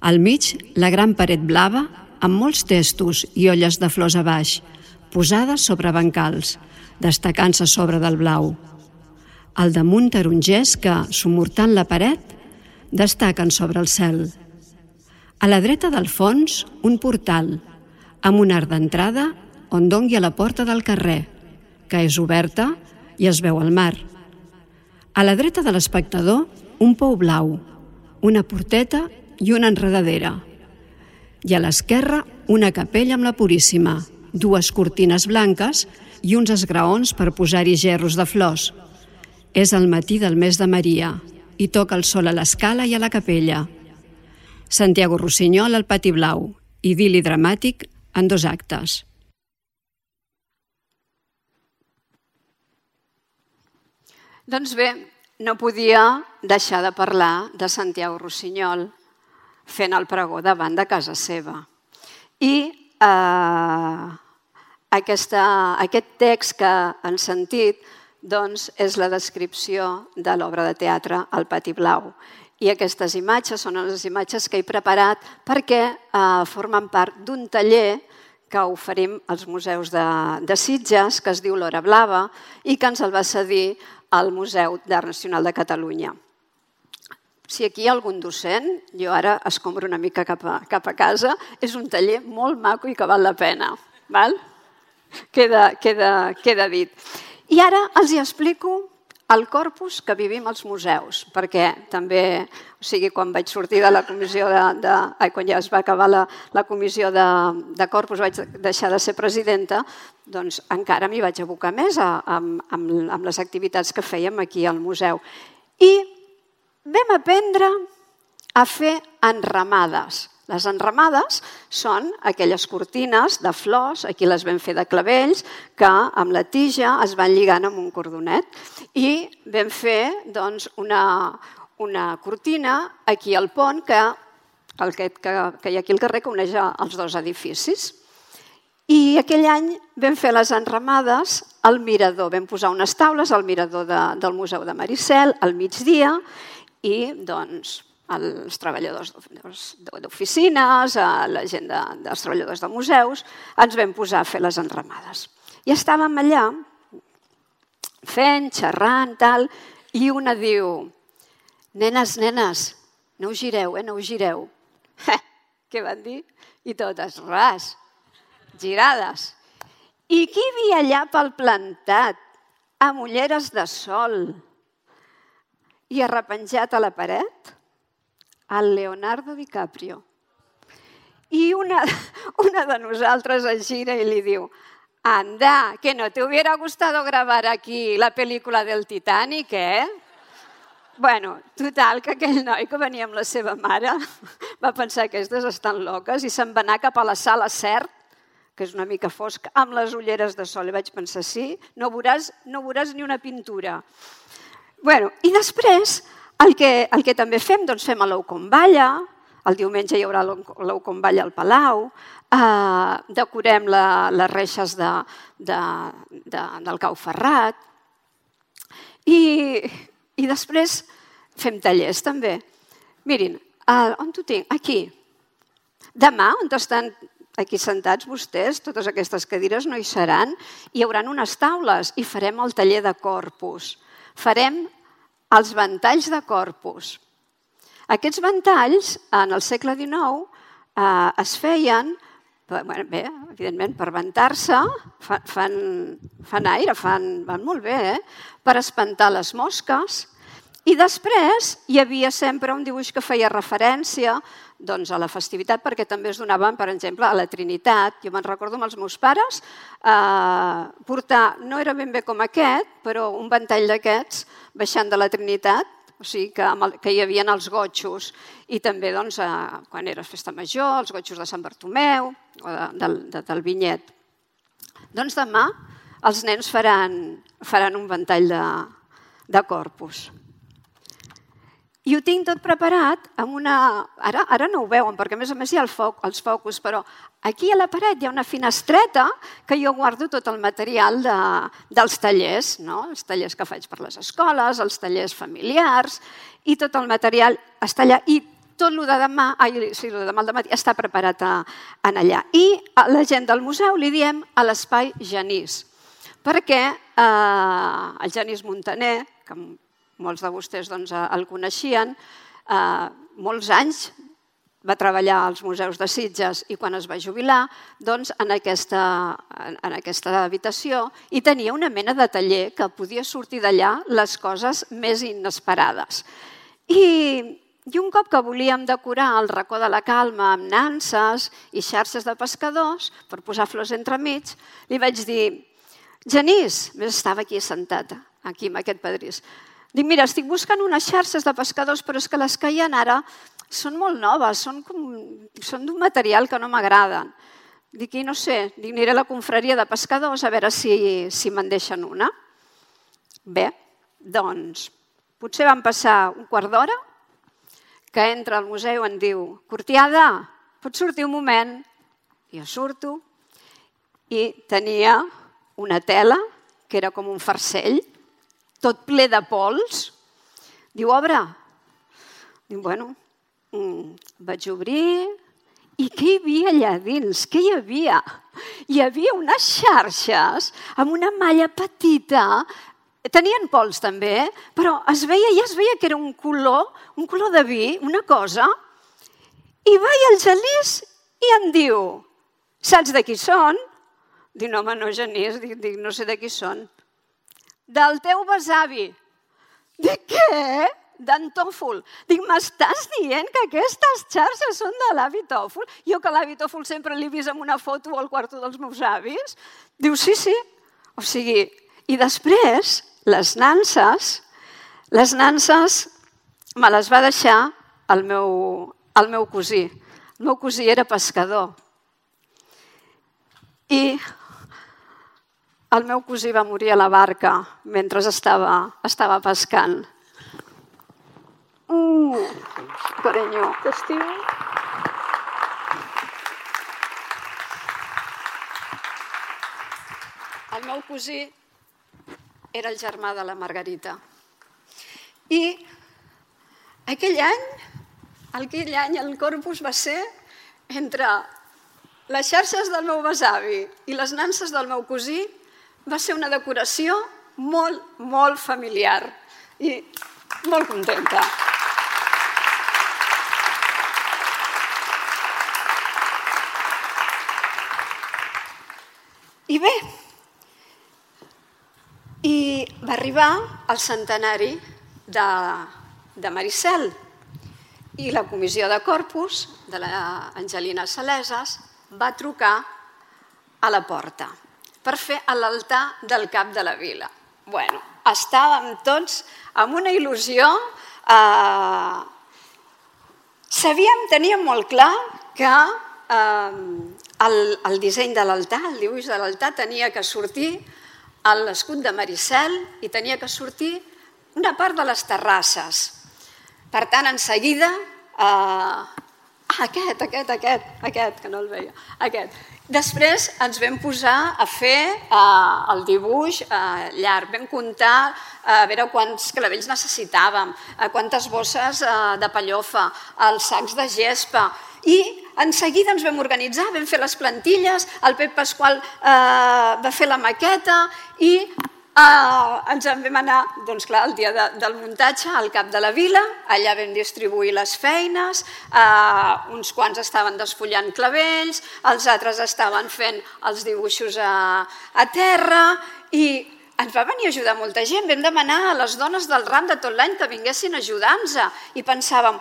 Al mig, la gran paret blava amb molts testos i olles de flors a baix, posades sobre bancals, destacant-se sobre del blau. Al damunt tarongers que, sumortant la paret, destaquen sobre el cel. A la dreta del fons, un portal, amb un arc d'entrada on dongui a la porta del carrer, que és oberta i es veu el mar. A la dreta de l'espectador, un pou blau, una porteta i una enredadera. I a l'esquerra, una capella amb la Puríssima, 2 cortines blanques i uns esgraons per posar-hi gerros de flors. És el matí del mes de Maria i toca el sol a l'escala i a la capella. Santiago Rossinyol al Pati Blau, idil·li dramàtic en 2 actes. Doncs bé, no podia deixar de parlar de Santiago Rossinyol fent el pregó davant de casa seva. I aquest text que han sentit és la descripció de l'obra de teatre El Pati Blau. I aquestes imatges són les imatges que he preparat perquè formen part d'un taller que oferim als museus de Sitges, que es diu L'Hora Blava, i que ens el va cedir al Museu d'Art Nacional de Catalunya. Si aquí hi ha algun docent, jo ara escombro una mica cap a casa, és un taller molt maco i que val la pena. Queda dit. I ara els explico el corpus que vivim als museus, perquè també, quan vaig sortir de la comissió quan ja es va acabar la comissió de corpus, vaig deixar de ser presidenta, doncs encara m'hi vaig abocar més amb les activitats que fèiem aquí al museu. I vam aprendre a fer enramades. Les enramades són aquelles cortines de flors, aquí les vam fer de clavells, que amb la tija es van lligant amb un cordonet. I vam fer una cortina aquí al pont, que hi ha aquí al carrer, que uneix els 2 edificis. I aquell any vam fer les enramades al mirador. Vam posar unes taules al mirador del Museu de Maricel al migdia i els treballadors d'oficines, la gent dels treballadors de museus, ens vam posar a fer les enramades. I estàvem allà fent, xerrant, tal, i una diu, nenes, no us gireu, no us gireu. Què van dir? I totes, ras, girades. I qui hi havia allà pel plantat, amb ulleres de sol i arrepenjat a la paret? El Leonardo DiCaprio. I una de nosaltres es gira i li diu, anda, que no te hubiera gustado grabar aquí la pel·lícula del Titanic, Bueno, total, que aquell noi que venia amb la seva mare va pensar que aquestes estan loques i se'n va anar cap a la sala CERT, que és una mica fosca, amb les ulleres de sol. I vaig pensar, sí, no veuràs ni una pintura. Bueno, i després, el que també fem, doncs fem l'ou com balla, el diumenge hi haurà l'ou com balla al Palau, decorem les reixes del Cau Ferrat i després fem tallers també. Mirin, on ho tinc? Aquí. Demà, on estan aquí sentats vostès, totes aquestes cadires no hi seran, hi haurà unes taules i farem el taller de corpus. Farem els ventalls de corpus. Aquests ventalls, en el segle XIX, es feien, bé, evidentment, per ventar-se, fan aire, van molt bé, per espantar les mosques. I després hi havia sempre un dibuix que feia referència a la festivitat, perquè també es donaven, per exemple, a la Trinitat. Jo me'n recordo amb els meus pares portar, no era ben bé com aquest, però un ventall d'aquests baixant de la Trinitat, o sigui que hi havia els gotxos, i també quan era festa major, els gotxos de Sant Bartomeu o del Vinyet. Doncs demà els nens faran un ventall de corpus. I ho tinc tot preparat amb una... Ara no ho veuen, perquè a més hi ha els focus, però aquí a la paret hi ha una finestreta que jo guardo tot el material dels tallers, els tallers que faig per les escoles, els tallers familiars, i tot el material està allà. I tot el de demà, el de demà al dematí, està preparat allà. I a la gent del museu li diem a l'espai Genís, perquè el Genís Montaner, que molts de vostès el coneixien, molts anys va treballar als museus de Sitges i quan es va jubilar en aquesta habitació i tenia una mena de taller que podia sortir d'allà les coses més inesperades. I un cop que volíem decorar el racó de la Calma amb nanses i xarxes de pescadors per posar flors entremig, li vaig dir, Genís, estava aquí sentat, aquí amb aquest pedrís, dic, mira, estic buscant unes xarxes de pescadors, però és que les que hi ha ara són molt noves, són d'un material que no m'agraden. Dic, i no sé, aniré a la confraria de pescadors a veure si me'n deixen una. Bé, doncs, potser van passar un quart d'hora que entra al museu i em diu, Cortiada, pots sortir un moment? Jo surto i tenia una tela que era com un farcell, tot ple de pols. Diu, obre. Diu, bueno, vaig obrir. I què hi havia allà dins? Què hi havia? Hi havia unes xarxes amb una malla petita. Tenien pols també, però ja es veia que era un color de vi, una cosa. I va el Genís i em diu, saps de qui són? Dic, no, home, no, Genís, no sé de qui són. Del teu besavi. Dic, què? D'en Tòfol. Dic, m'estàs dient que aquestes xarxes són de l'avi Tòfol? Jo que l'avi Tòfol sempre l'he vist en una foto al quarto dels meus avis. Diu, sí. O sigui, i després, les nanses me les va deixar el meu cosí. El meu cosí era pescador. I el meu cosí va morir a la barca mentre estava pescant. Carinyo. T'estimo. El meu cosí era el germà de la Margarita. I aquell any el corpus va ser entre les xarxes del meu besavi i les nanses del meu cosí. Va ser una decoració molt, molt familiar i molt contenta. I bé, i va arribar el centenari de Maricel i la comissió de Corpus de l'Angelina Saleses va trucar a la porta per fer l'altar del cap de la vila. Bueno, estàvem tots amb una il·lusió. Teníem molt clar que el disseny de l'altar, el dibuix de l'altar, tenia que sortir l'escut de Maricel i tenia que sortir una part de les terrasses. Per tant, en seguida, aquest, que no el veia, aquest. Després ens vam posar a fer el dibuix llarg, vam comptar a veure quants clavells necessitàvem, quantes bosses de pellofa, els sacs de gespa, i en seguida ens vam organitzar, vam fer les plantilles, el Pep Pasqual va fer la maqueta i ens en vam anar, doncs clar, el dia del muntatge al cap de la vila, allà vam distribuir les feines, uns quants estaven desfullant clavells, els altres estaven fent els dibuixos a terra i ens va venir a ajudar molta gent. Vam demanar a les dones del ram de tot l'any que vinguessin a ajudar-nos i pensàvem,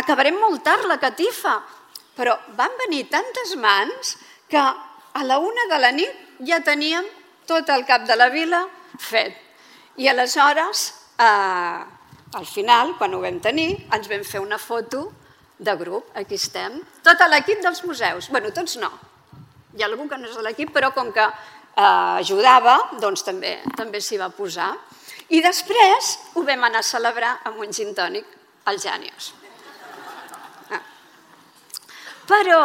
acabarem molt tard la catifa, però van venir tantes mans que a la 1 de la nit ja teníem tot el cap de la vila fet. I aleshores, al final, quan ho vam tenir, ens vam fer una foto de grup. Aquí estem. Tot l'equip dels museus. Bé, tots no. Hi ha algú que no és de l'equip, però com que ajudava, doncs també s'hi va posar. I després ho vam anar a celebrar amb un gin tònic als Jànios. Però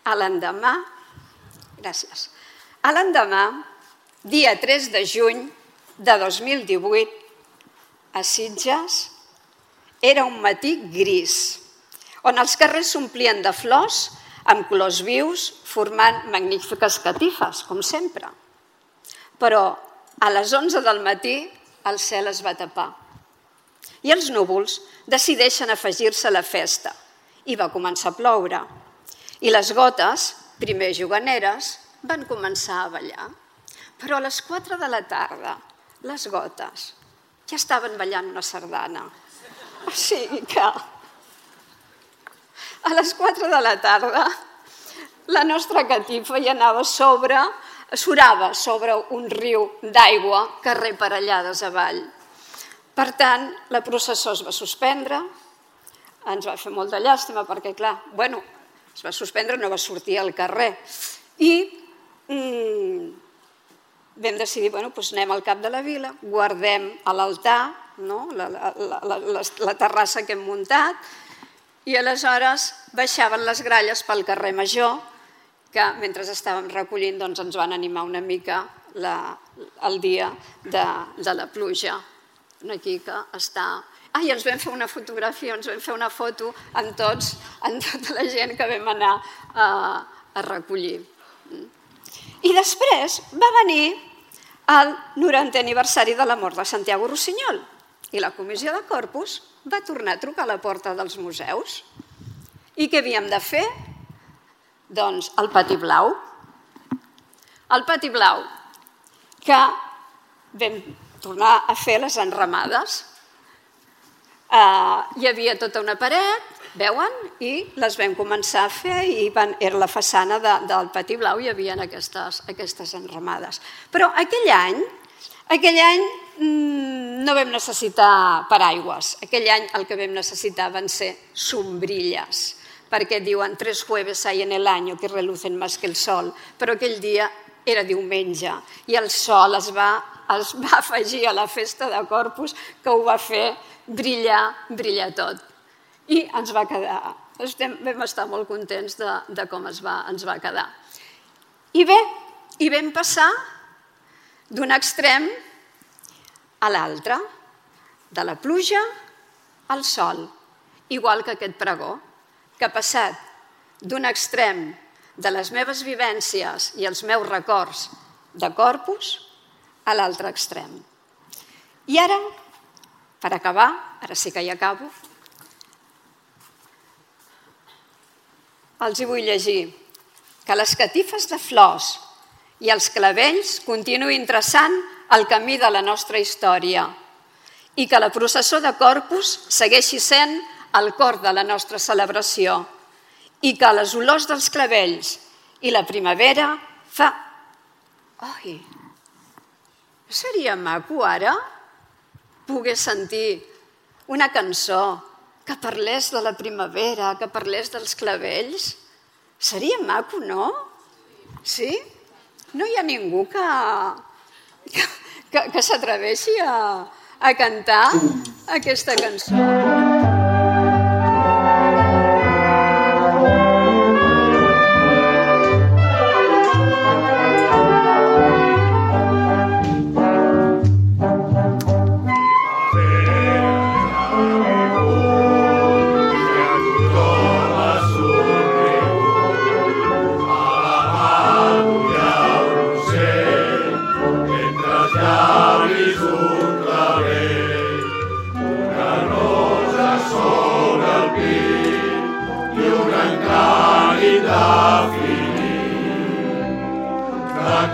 a l'endemà, dia 3 de juny de 2018, a Sitges, era un matí gris, on els carrers s'omplien de flors amb colors vius, formant magnífiques catifes, com sempre. Però a les 11 del matí el cel es va tapar i els núvols decideixen afegir-se a la festa i va començar a ploure. I les gotes, primer juganeres, van començar a ballar. Però a les 4 de la tarda, les gotes ja estaven ballant una sardana. O sigui que a les 4 de la tarda la nostra catifa ja surava sobre un riu d'aigua carrer Parellades avall. Per tant, la processó es va suspendre, ens va fer molta llàstima perquè, clar, es va suspendre, no va sortir al carrer. I vam decidir, anem al cap de la vila, guardem a l'altar, la terrassa que hem muntat, i aleshores baixaven les gralles pel carrer Major, que mentre estàvem recollint ens van animar una mica el dia de la pluja. Aquí que està... I ens vam fer una fotografia, ens vam fer una foto amb tota la gent que vam anar a recollir. I després va venir el 90è aniversari de la mort de Santiago Rossinyol i la comissió de Corpus va tornar a trucar a la porta dels museus. I què havíem de fer? Doncs el Pati Blau. El Pati Blau, que vam tornar a fer les enramades. Hi havia tota una paret, veuen? I les vam començar a fer i era la façana del Pati Blau, hi havia aquestes enramades. Però aquell any no vam necessitar paraigües. Aquell any el que vam necessitar van ser sombrilles, perquè diuen 3 jueves hay en el año que relucen más que el sol, però aquell dia era diumenge i el sol es va afegir a la festa de Corpus que ho va fer brillar tot. I ens va quedar, vam estar molt contents de com ens va quedar. I bé, hi vam passar d'un extrem a l'altre, de la pluja al sol, igual que aquest pregó, que ha passat d'un extrem de les meves vivències i els meus records de Corpus a l'altre extrem. I ara, per acabar, ara sí que hi acabo, els hi vull llegir que les catifes de flors i els clavells continuïn traçant el camí de la nostra història i que la processó de Corpus segueixi sent el cor de la nostra celebració i que les olors dels clavells i la primavera fa... Ai, seria maco ara poder sentir una cançó que parlés de la primavera, que parlés dels clavells? Seria maco, no? Sí? No hi ha ningú que s'atreveixi a cantar aquesta cançó.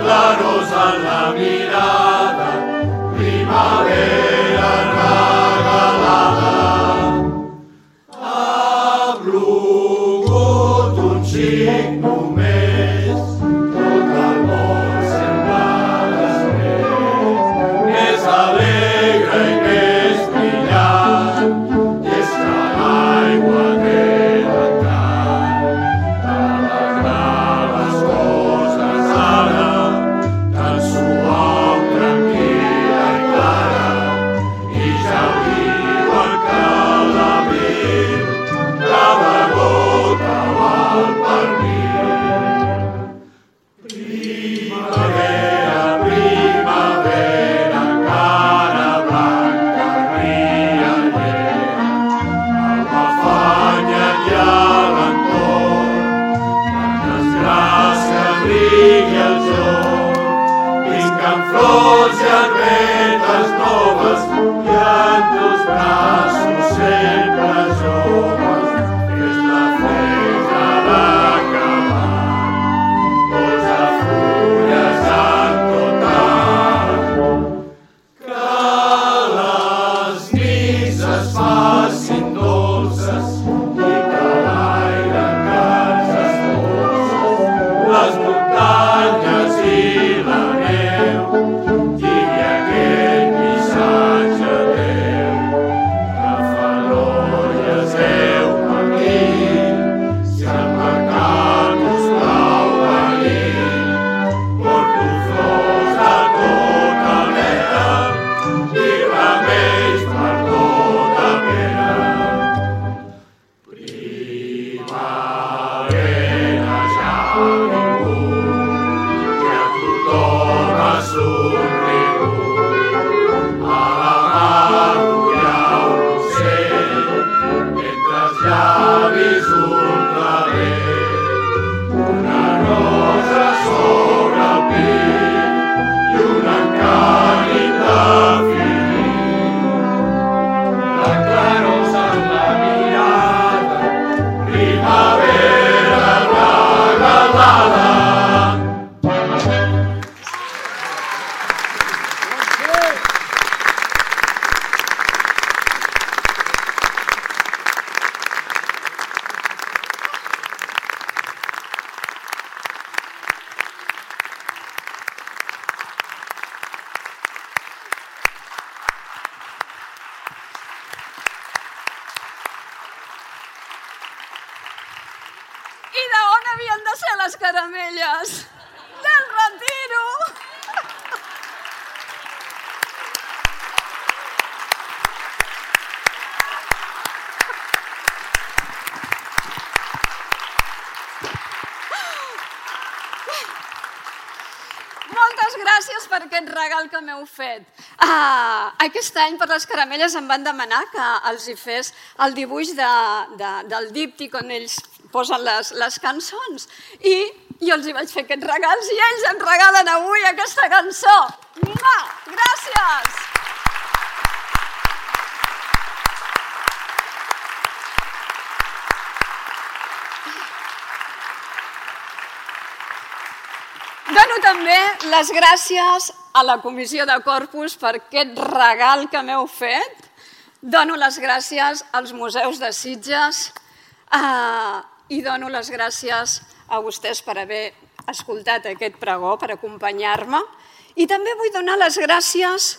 Claros en la mirada, primavera regalada. Ha plogut un xic només, tot el món sembla més alegre i més brillant, i és que l'aigua té l'encant d'alegrar les coses ara. Suau, tranquil·la i clara, i ja ho diuen que l'abril cada gota val per mil. Primavera, primavera, encara blanca, riallera, amb afanya i a l'entorn, tantes gràcies rigui el joc. Amb flors i arbetes noves i en teus braços sempre joves, és la festa d'acabar. Posa fulles en tot art, que les nits es facin dolces i que l'aire que ens espolsa, les muntanyes i la I d'on havien de ser les caramelles? Del Retiro! Moltes gràcies per aquest regal que m'heu fet. Aquest any per les caramelles em van demanar que els hi fes el dibuix del díptic on ells posen les cançons. I jo els hi vaig fer aquests regals i ells em regalen avui aquesta cançó. Mua! Gràcies! Dono també les gràcies a la Comissió de Corpus per aquest regal que m'heu fet. Dono les gràcies als museus de Sitges i dono les gràcies a vostès per haver escoltat aquest pregó, per acompanyar-me. I també vull donar les gràcies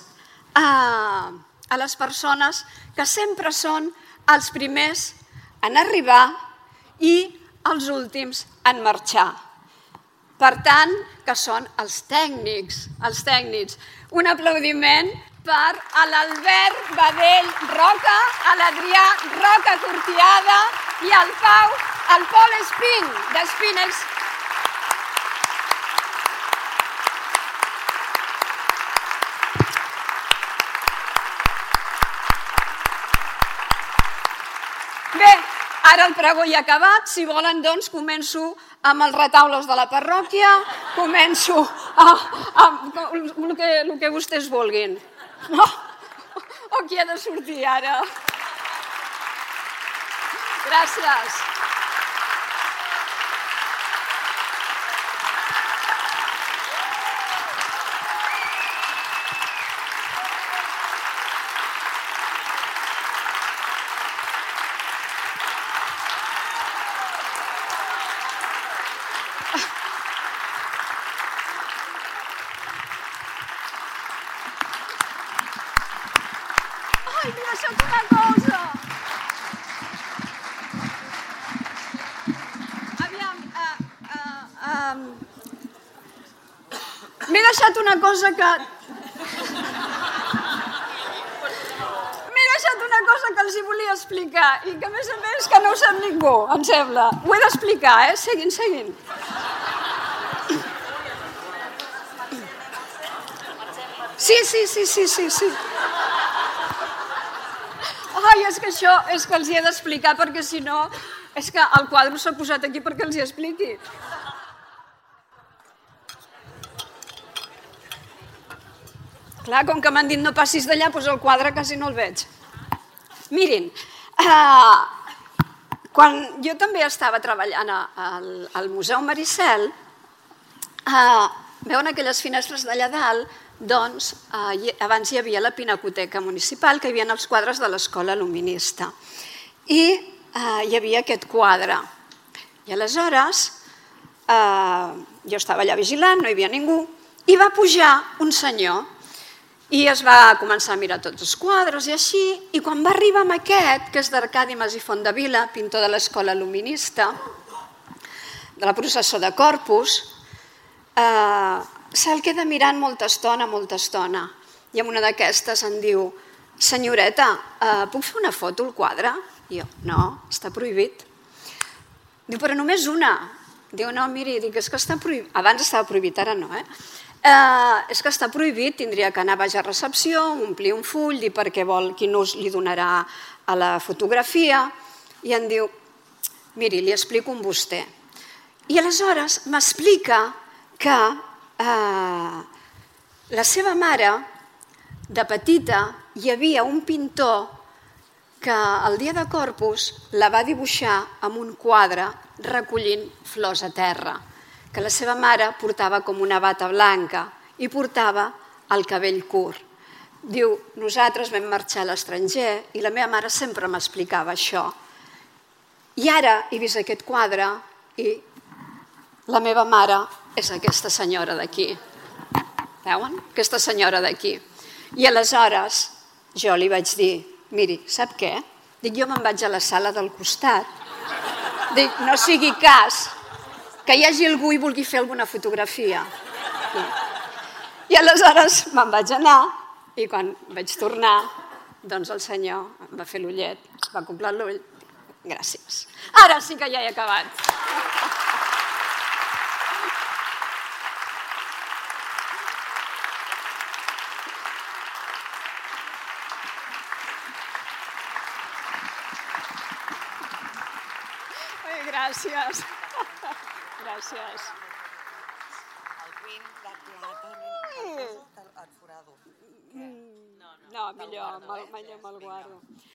a les persones que sempre són els primers en arribar i els últims en marxar. Per tant, que són els tècnics. Un aplaudiment per a l'Albert Badell Roca, a l'Adrià Roca Cortiada i al Pol Espín, d'Espinex. Bé, ara el pregó ja ha acabat. Si volen, doncs, començo amb els retaules de la parròquia, començo amb el que vostès vulguin. No? O qui ha de sortir ara? Gràcies. Ai, m'he deixat una cosa. Aviam, m'he deixat una cosa que... M'he deixat una cosa que els hi volia explicar i que, a més, que no ho sap ningú, em sembla. Ho he d'explicar, Seguint. Sí. Ai, és que això és que els hi he d'explicar perquè si no és que el quadre s'ha posat aquí perquè els hi expliqui. Clar, com que m'han dit no passis d'allà, doncs el quadre quasi no el veig. Mirin, quan jo també estava treballant al Museu Maricel, veuen aquelles finestres d'allà dalt, doncs abans hi havia la Pinacoteca Municipal, que hi havia els quadres de l'Escola Luminista. I hi havia aquest quadre. I aleshores jo estava allà vigilant, no hi havia ningú, i va pujar un senyor i es va començar a mirar tots els quadres i així, i quan va arribar amb aquest, que és d'Arcadi Mas i Fontdevila, pintor de l'Escola Luminista, de la processó de Corpus, se'l queda mirant molta estona. I en una d'aquestes em diu: senyoreta, puc fer una foto al quadre? I jo, no, està prohibit. Diu, però només una. Diu, no, miri, és que està prohibit. Abans estava prohibit, ara no, és que està prohibit, tindria que anar baix a recepció, omplir un full, dir per què vol, quin ús li donarà a la fotografia. I em diu, miri, li explico amb vostè. I aleshores m'explica que la seva mare, de petita, hi havia un pintor que el dia de Corpus la va dibuixar amb un quadre recollint flors a terra, que la seva mare portava com una bata blanca i portava el cabell curt. Diu, nosaltres vam marxar a l'estranger i la meva mare sempre m'explicava això. I ara he vist aquest quadre i la meva mare és aquesta senyora d'aquí. Veuen? Aquesta senyora d'aquí. I aleshores jo li vaig dir, miri, sap què? Dic, jo me'n vaig a la sala del costat. Dic, no sigui cas que hi hagi algú i vulgui fer alguna fotografia. I aleshores me'n vaig anar i quan vaig tornar, doncs el senyor em va fer l'ullet, va acoblar l'ull. Gràcies. Ara sí que ja he acabat. Gràcies. Gràcies. El pin de plata, el forado. No, millor me'l guardo.